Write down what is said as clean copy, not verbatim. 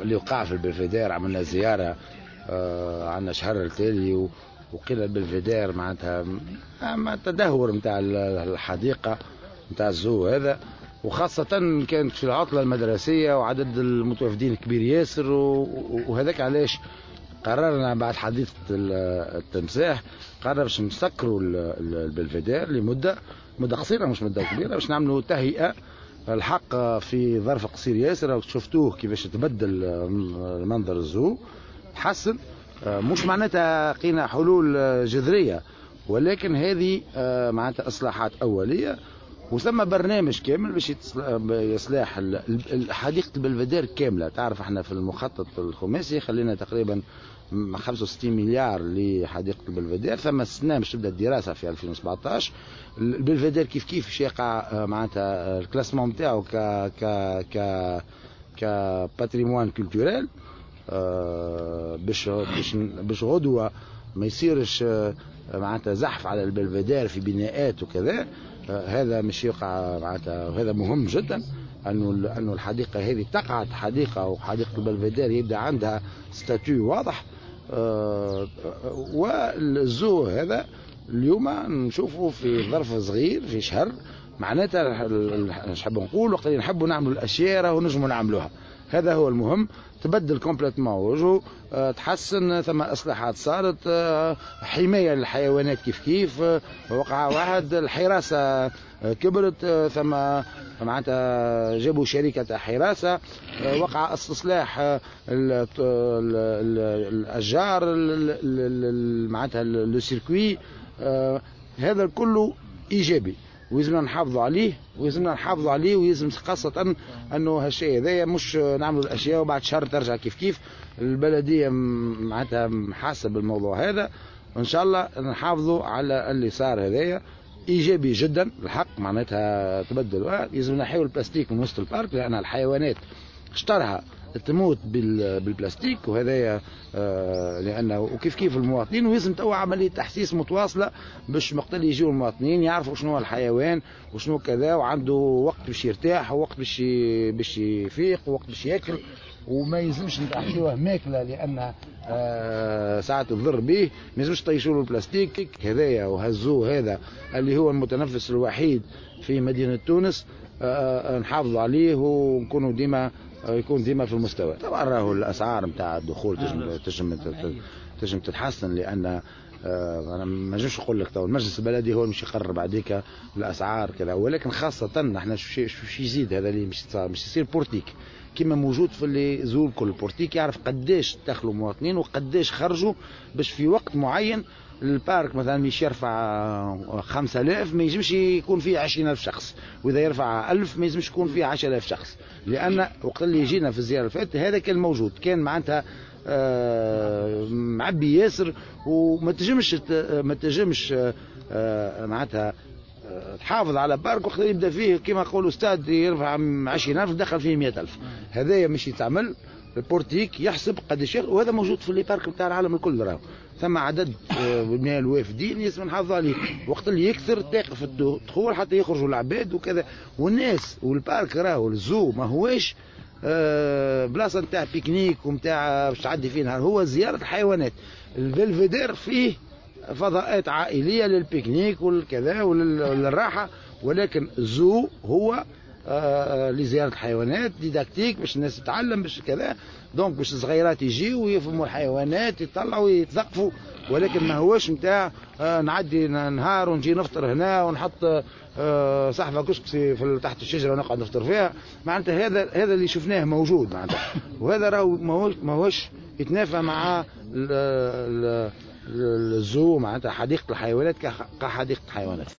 اللي وقع في البلفيدير. عملنا زيارة عندنا شهر التالي وقيل البلفيدير معناتها التدهور نتاع الحديقة نتاع ال zoo هذا، وخاصة كانت في العطلة المدرسية وعدد المتوافدين كبير ياسر، وهذاك علاش قررنا بعد حديث التمساح قرر باش نسكروا البلفيدير لمدة قصيرة مش مدة كبيرة، باش نعملوا تهيئة. الحق في ظرف قصير ياسر شفتوه كيفاش تبدل المنظر ال zoo، تحسن، مش معناتها لقينا حلول جذرية، ولكن هذه معناتها إصلاحات أولية، وثم برنامج كامل باش يصلاح حديقة البلفيدير كاملة. تعرف احنا في المخطط الخماسي خلينا تقريبا 65 مليار لحديقة البلفيدير، ثم السنة باش تبدا الدراسة في 2017. البلفيدير كيف كيف باش يقع معناتها ال classement نتاعو ك ك ك ك patrimoine culturel، باش باش باش غدوة ما يصيرش معناتها زحف على البلفيدير في بناءات وكذا. هذا مش يقع معناتها، وهذا مهم جدا انه الحديقة هذه تقعد حديقة، وحديقه البلفيدير يبدا عندها statut واضح. وال zoo هذا اليوم نشوفه في ظرف صغير في شهر، معناتها نحب نقول وقت اللي نحبوا نعملوا الاشياء راهو نجموا نعملوها. هذا هو المهم، تبدل complètement وجهه، تحسن، ثم اصلاحات صارت، حماية للحيوانات كيف كيف، وقع واحد الحراسة كبرت، ثم معناتها جابوا شركة حراسة، وقع استصلاح الاشجار معناتها le circuit. هذا كله ايجابي ويلزمنا نحافظوا عليه، ويلزمنا نحافظوا عليه، ويلزم خاصة انه هالشيء هذايا مش نعملوا الاشياء وبعد شهر ترجع كيف كيف. البلدية معناتها حاسة بالموضوع هذا، وان شاء الله نحافظوا على اللي صار هذايا ايجابي جدا الحق، معناتها تبدل. يلزم نحيوا البلاستيك من وسط ال parc، لان الحيوانات اشترها تموت بالبلاستيك، وهذايا لانه وكيف كيف المواطنين. ويلزم توا عملية تحسيس متواصلة باش وقت اللي يجيو المواطنين يعرفوا شنو هو الحيوان وشنو كذا، وعنده وقت باش يرتاح ووقت باش يفيق ووقت باش ياكل، وما يلزمش نعطيوه ماكله لان ساعات تضر به، ما يلزمش طيشوا له البلاستيك هذايا. وهزوه هذا اللي هو المتنفس الوحيد في مدينة تونس، نحافظوا عليه ونكونوا ديما يكون ديما في المستوى. طبعا راهو الاسعار نتاع الدخول تنجم تتحسن، لان انا ما نجمش نقول لك تو المجلس البلدي هو اللي مش يقرر بعديك الاسعار كذا، ولكن خاصة احنا شو يزيد هذا اللي مش يصير portique كما موجود في les zoos الكل. portique يعرف قداش دخلوا مواطنين وقداش خرجوا، باش في وقت معين ال parc مثلا مش يرفع 5000 ما يجمش يكون فيه 20000 شخص، واذا يرفع 1000 ما يجمش يكون فيه 10000 شخص، لان وقت اللي جينا في الزيارة اللي فاتت هذا كان موجود، كان معناتها معبي ياسر، وما تنجمش ما تنجمش معناتها تحافظ على parc وقت يبدا فيه كما يقولوا استاد يرفع 20000 دخل فيه 100000. هذايا مش يتعمل ال portique يحسب قداش، وهذا موجود في les parcs نتاع العالم الكل. راهو ثم عدد من الوافدين لازم نحافظوا عليه، وقت اللي يكثر تقف الدخول حتى يخرجوا العباد وكذا والناس. وال parc راهو ال zoo ما هواش بلاصة نتاع pique-nique ونتاع باش تعدي فيه نهار، هو زيارة الحيوانات. البلفيدير فيه فضاءات عائلية لل pique-nique والكذا وللراحه، ولكن ال zoo هو لزيارة الحيوانات didactique باش الناس تتعلم باش كذا، donc باش الصغيرات يجيو ويفهموا الحيوانات يطلعوا ويتثقفوا، ولكن ما هوش نتاع نعدي نهار ونجي نفطر هنا ونحط صحفه كسكسي في تحت الشجرة ونقعد نفطر فيها. معناتها هذا اللي شفناه موجود معناتها، وهذا راهو ماهوش يتنافى مع ال zoo معناتها حديقة الحيوانات كحديقه الحيوانات.